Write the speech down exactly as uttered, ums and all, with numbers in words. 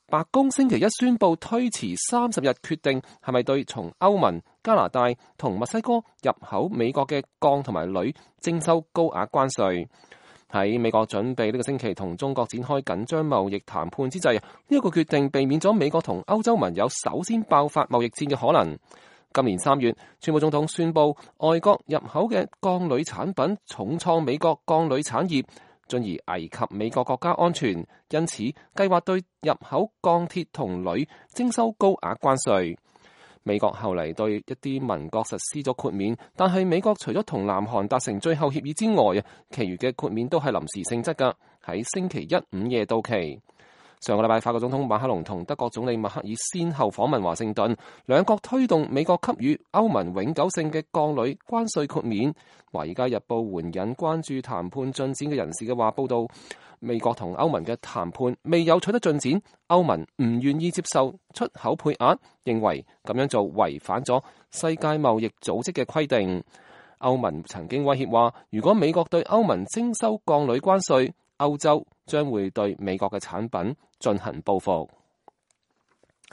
白宮星期一宣布推遲三十日決定係咪對從歐盟、加拿大同墨西哥入口美國嘅鋼同埋鋁徵收高額關稅。喺美國準備呢個星期同中國展開緊張貿易談判之際，呢一個決定避免咗美國同歐洲盟友首先爆發貿易戰嘅可能。今年三月，川普總統宣布外國入口嘅鋼鋁產品重創美國鋼鋁產業，進而危及美國國家安全，因此計劃對入口鋼鐵同鋁徵收高額關稅。美國後嚟對一啲盟國實施咗豁免，但係美國除咗同南韓達成最後協議之外啊，其餘嘅豁免都係臨時性質㗎，喺星期一午夜到期。上個禮拜，法國總統馬克龍同德國總理默克爾先後訪問華盛頓，兩國推動美國給予歐盟永久性嘅鋼鋁關稅豁免。華爾街日報援引關注談判進展嘅人士嘅話報道，美國同歐盟嘅談判未有取得進展，歐盟唔願意接受出口配額，認為咁樣做違反咗世界貿易組織嘅規定。歐盟曾經威脅話，如果美國對歐盟徵收鋼鋁關稅，歐洲將會對美國嘅產品進行報復。